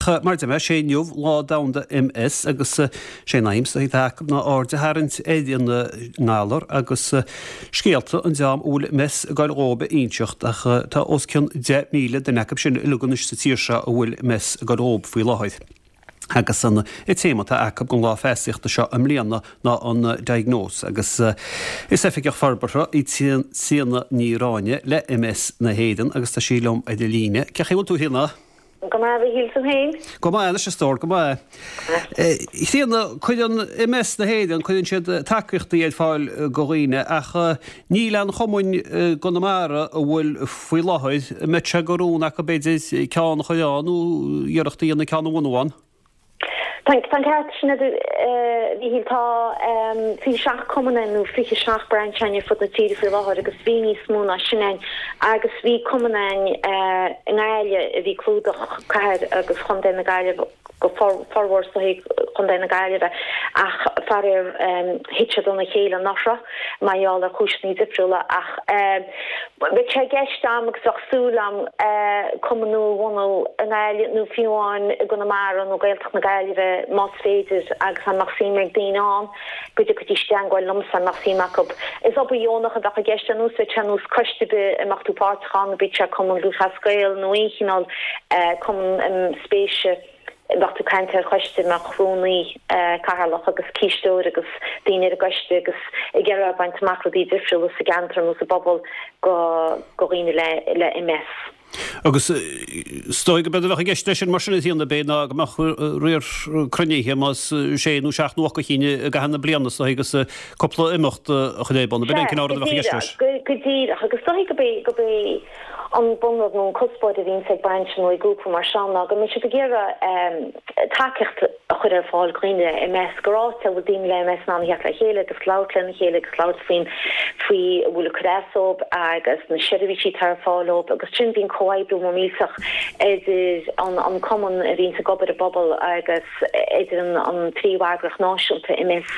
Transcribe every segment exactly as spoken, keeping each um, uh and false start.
Mar a deir mé, sé inniu Lá Domhanda MS agus sé an aidhm is atá acu ná aird a tharraingt ar an ngalar agus scéalta an dream a bhfuil MS ag goil dhóibh a inseacht ach tá os cionn deich míle duine acu sin uilig anois sa tír seo a bhfuil MS ag goil dhóibh faoi láthair. Agus an téama atá acu don lá feasachta seo i mbliana ná an diagnose agus is oifigeach forbartha í Tríona Ní Ráinne le MS na hÉireann agus tá sí liom ar an líne. Cén chaoi a bhfuil tú a Thríona? Go maith, a Mhíchíl, tú féin? Go maith anois a stór, go maith. Tríona, cuireann MS na hÉireann, cuireann siad tacaíochtaí ar fáil do dhaoine ach níl aon chumainn i gConamara a bhfuil faoi láthair, an mbeadh sé de rún acu b'fhéidir ceann a chur ann nó iarracht a dhéanamh ceann a bhunú ann? Tá an ceart sin agat, a Mhíchíl. Tá fiche seacht cumann ann nó fiche seacht brainse ann ar fud na tíre faoi láthair agus bhí níos mó ná sin ann agus bhí cumann ann i nGaillimh a bhí ag clúdach cathair agus chontae na Gaillimhe go formhór is dóichí chontae na Gaillimhe ach faraor thit siad óna chéile anuraidh mar gheall ar chúiseanna difriúla ach bheadh sé i gceist a'm agus bheadh súil a'm cumann nua a bhunú i nGaillimh nó fiú amháin i gConamara nó Gaeltacht na Gaillimhe más féidir agus dá mbeadh suim ag daoine ann go dtiocfaidís i dteangmháil liomsa dá mbeadh suim acu. Is obair dheonach a bheadh i gceist ar nós bheadh sé ar nós coiste ar bith a mbeadh tú páirteach ann, bíodh sé Cumann Lúthchleas Gael nó aon chineál cumann spéise. Bheadh tú ag caint ar choiste a mbeadh rúnaí, cathaoirleach agus cisteoir agus daoine ar an gcoiste agus ag iarraidh baint amach rudaí difriúla sa gceantar nó sa bpobal do dhaoine le MS. Agus is dóigh go b'éard a bheadh i gceist leis sin mar sin a Thríona b'fhéidir ná go mbeadh riar cruinnithe más sé nó seacht nó ocht de chinn i gcaitheamh na bliana is dóigh agus cúpla imeacht a chur ar bun. B'in an cineál rud a bheadh i gceist leis. Go díreach agus is dóigh go b'é An bunrud nó an cuspóir a bhíonns ag brainse nó ag grúpa mar seo ná go mbíonn siad ag iarraidh tacaíocht a chur ar fáil do dhaoine le MS, gur áit a bhfuil daoine le MS in ann a theacht le chéile agus labhairt lena chéile agus labhairt faoin faoi a bhfuil ag cur as dóibh agus na seirbhísí atá ar fáil dóibh agus sin bíonn comhoibriú mór millteach idir an an cumann a bhíonns ag obair i bpobal agus idir an an príomheagraíocht náisiúnta MS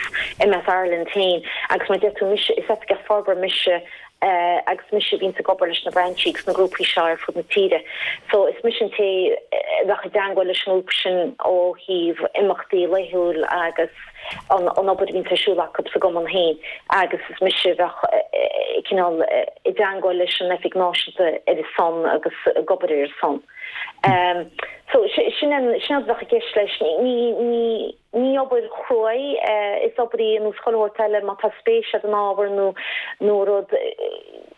MS Ireland féin agus mar a deir tú mise is oifigeach forbartha mise agus mise a bhíonns ag obair leis na brainsí agus na grúpaí seo ar fud na tíre. So is mise an té a bheadh i dteangmháil leis an ngrúpa sin ó thaobh imeachtaí laethúil agus an an obair a bhíonns ar siúl acu sa gcumann féin agus is mise a bheadh cineál i dteangmháil leis an oifig náisiúnta ar a son agus ag obair ar a son. So sin an sin an rud a bheadh i gceist leis. Ní ní Ní obair chrua í, is obair í ar nós chuile shórt eile, má tá spéis agat in ábhar nó nó rud,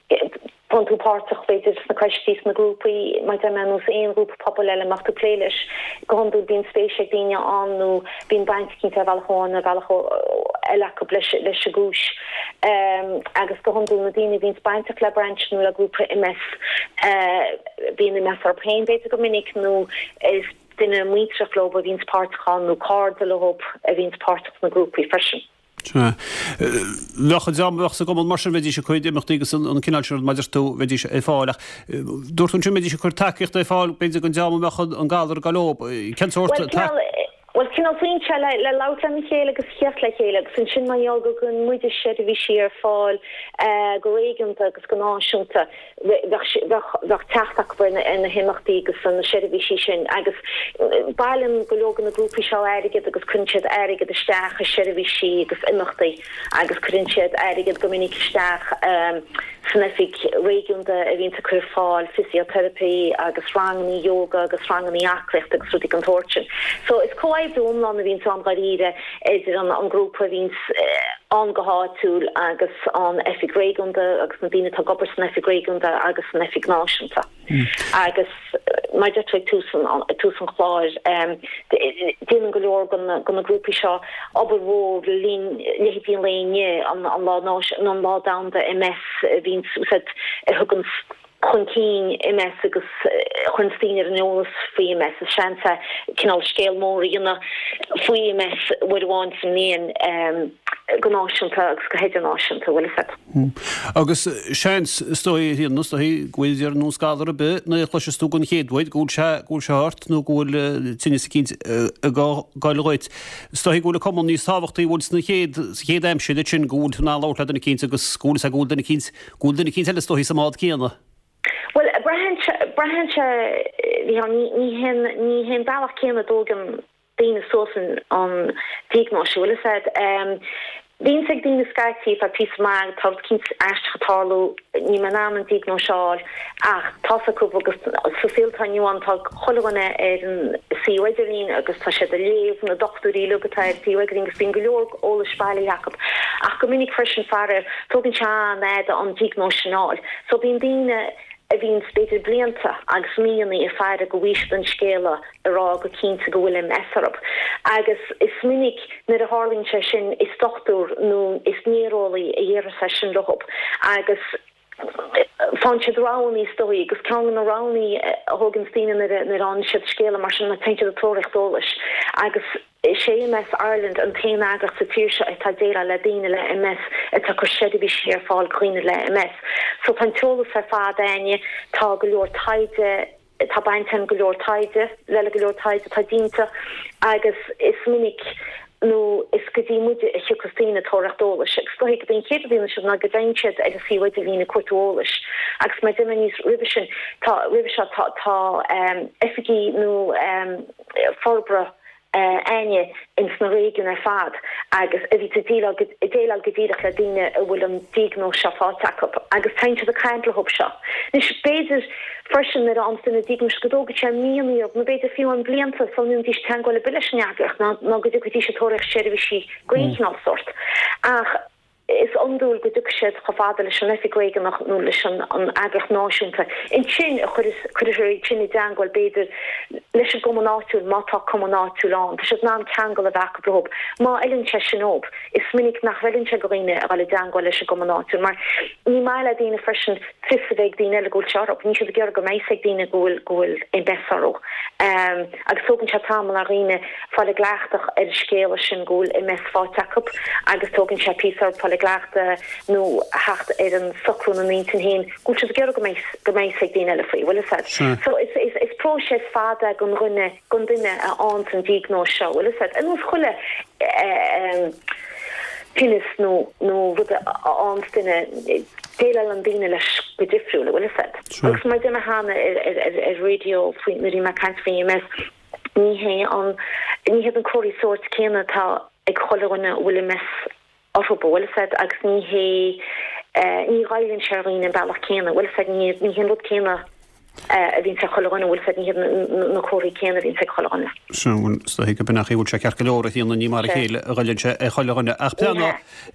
bíonn tú páirteach b'fhéidir sna coistí, sna grúpaí, mar a deir mé, ar nós aon ghrúpa pobail eile a mbeadh tú ag plé leis. Go hiondúil bíonn spéis ag daoine ann nó bíonn baint eicínt ar bhealach amháin nó ar bhealach eile acu leis leis an gcúis. Agus go hiondúil na daoine a bhíonns bainteach le brainse nó le grúpa MS, bíonn MS orthu féin b'fhéidir go minic nó is duine muinteartha leo a bhíonns páirteach ann nó cairde leo a bhíonns páirteach sna grúpaí freisin. Sea. Bheadh an dream a bheadh sa gcumann mar sin, bheidís ag cur imeachtaí agus an cineál sin rud mar a deir tú, bheidís ar fáil ach dúirt tú ansin mbeidís ag cur tacaíochta ar fáil b'fhéidir don dream a mbeadh an galar ag gabháil leo. Cén sórt Bhuel, cineál, bhuel, cineál foinse le, le labhairt lena chéile agus a theacht le chéile agus ansin mar gheall go gcuireann muide seirbhísí ar fáil go réigiúnta agus go náisiúnta, bheadh teacht acu ar na himeachtaí agus ar na seirbhísí sin agus bailíonn go leor de na grúpaí seo airgead agus cuireann siad airgead isteach i seirbhísí agus imeachtaí agus cuireann siad airgead go minic isteach san oifig réigiúnda a bhíonns ag cur ar fáil fisioteiripe agus ranganna yoga agus ranganna aclaíochta agus rudaí den tsórt sin. So is comhoibriú iomlán a bhíonns ann dháiríre idir an grúpa a bhíonns ann go háitiúil agus an oifig réigiúnda agus na daoine atá ag obair san oifig réigiúnda agus san oifig náisiúnta. Agus mar a deir tú ag tús an ag tús an chláir, déanann go leor de na grúpaí seo obair mhór le linn leithéidí an lae inniu, an lá náisiúnta nó an lá domhanda MS a bhíonns a thugann chun cinn MS agus a chuireanns daoine ar an eolas faoi MS. Is seans é cineál scéal mór a dhéanamh faoi MS uair amháin sa mbliain go náisiúnta agus go hidirnáisiúnta, bhfuil fhios agat. Agus seans, is dóigh, a Thríona, is dóigh go bhfuil ar nós galar ar bith nuair a chloiseas tú den chéad uair go bhfuil sé, go bhfuil sé ort nó go bhfuil tinneas eicínt ag gabháil dhuit. Is dóigh go bhfuil an cumann níos tábhachtaí, bhfuil sna chéad, sa chéad aimsir ansin go bhfuil tú in ann labhairt le duine eicínt agus go bhfuil fhios agat go bhfuil duine eicínt Go bhfuil duine eicínt eile is dóichí sa mbád céanna. Well braitheann braitheann sé ní hin ní hin bealach céanna a dtógann daoine suas an an diagnóis bhfuil a fhios a'd. Um, Bíonn ag daoine scaití tá píosa maith tá eicínt aisteach ag tarlú níl mé in ann an diagnóis a fháil ach tá a fhios acu agus sa saol atá inniu ann tá chuile dhuine ar an suíomh idirlín agus tá siad ag léamh na dochtúirí uilig atá ar an suíomh idirlín agus bíonn go leor eolais bailithe acu ach go minic freisin faraor tógann sé an-fhada an diagnóis sin a fháil so bíonn daoine a bhíonn b'fhéidir blianta agus míonna ag faire go bhfaighidh siad an scéala a rá go cinnte go bhfuil MS orthu. Agus is minic nuair a tharlaíonn sé sin is dochtúir nó is néareolaí a dhéarfas é sin leo agus faigheann siad roghanna is dóigh agus ceann de na roghanna a thógann daoine nuair a fhaigheann siad scéala mar sin ná téann siad ag tóraíocht eolais agus Is é MS Ireland an t-aon eagraíocht sa tír seo atá ag déileáil le daoine le MS atá ag cur seirbhísí ar fáil do dhaoine le MS. So tá an t-eolas ar fad againne, tá go leor taighde, tá baint ag go leor taighde, le le go leor taighde atá déanta agus is minic nó is go dtí muide a thiocfas daoine ag tóraíocht eolais. Agus is dóigh gurb é an chéad rud a dhéanann siad ná go dtéann siad ar an suíomh idirlín ag cuartú eolais. Agus mar a deir mé níos roimhe sin, tá roimhe seo tá tá um, oifigí nó um, forbartha againne ins na réigiúin ar fad agus a bhí ag déileáil go díreach le daoine a bhfuil an diagnóis seo faighte acu agus téann siad ag caint leo seo. Anois b'fhéidir freisin nuair a fhaigheann duine diagnóis go dtógann sé míonna nó b'fhéidir fiú an blianta sula ndéanfaidís teagmháil ar bith leis an eagraíocht ná go dtiocfaidís ag tóraíocht seirbhísí d'aon chineál sórt. Ach is iondúil go dtiocfaidh siad chomh fada leis an oifig réigiúnach nó leis an an eagraíocht náisiúnta. Ansin a chuirfear iad sin i dteagmháil b'fhéidir leis an gcumann áitiúil má tá cumann áitiúil ann. Tá siad in ann ceangal a bheith acu leo. Má fheileann sé sin dóibh, is minic nach bhfeileann sé do dhaoine a dhul i dteagmháil leis an gcumann áitiúil, mar ní maith le daoine freisin fios a bheith ag daoine eile go bhfuil sé orthu. Níl siad ag iarraidh go mbeidh ag daoine go bhfuil go bhfuil MS orthu. Um, agus tógann sé tamall ar dhaoine fáil i gcleachtadh ar an scéala sin go bhfuil MS faighte acu agus tógann sé píosa orthu fáil i gcleachtadh nó theacht ar an socrú ina n-intinn féin go bhfuil siad ag iarraidh go mbeidh go mbeidh ag daoine eile faoi bhfuil a fhios a'd. So is is is próiseas fada don dhuine don duine a fhaigheann an diagnóis seo bhfuil a fhios a'd. Ar nós chuile eh, tinneas nó nó rud a fhaigheann duine déileálann daoine leis go difriúil bhfuil a fhios a'd. Agus mar deir mé cheana ar ar ar ar radio faoi nuair a bhí mé ag caint faoi MS ní hé an ní hiad an comharthaí sóirt céanna atá ag chuile dhuine a bhfuil MS orthu bhfuil a fhios a'd agus ní hé ní ghoilleann sé ar dhaoine an bealach céanna bhfuil a fhios a'd ní ní hé an rud céanna a bhíonn ag chuile dhuine bhfuil a fhios a'd ní hiad na comharthaí céanna a bhíonn ag chuile dhuine. Sin go b'in bhfuil sé ceart go leor a Thríona ní mar a chéile a ghoilleann sé ar chuile dhuine ach plean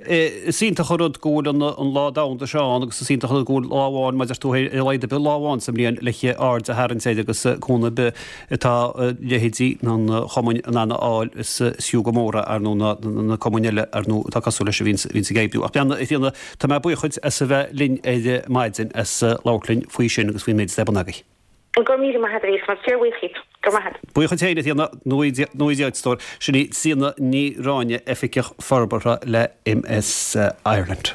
is iontach an rud go bhfuil an an lá domhanda seo ann agus is iontach an rud go bhfuil lá amháin mar a deir tú ar a laghad ar bith lá amháin sa mbliain le aird a tharraingt air agus cúnamh ar bith atá leithéidí an chumainn in ann a fháil is fiú go mór ar nó na na cumainn eile ar nó atá cosúil leis a bhíonn bhíonn ag oibriú. Ach plean a Thríona tá mé buíoch duit as a bheith linn ar maidin as labhairt linn faoi sin agus faoin méid atá ar bun agaibh. Go míle maith agat mar fíorbhuíoch go maith. Buíoch duit féin a Thríona nuaí stór sin í Tríona Ní Ráinne oifigeach forbartha le MS Ireland.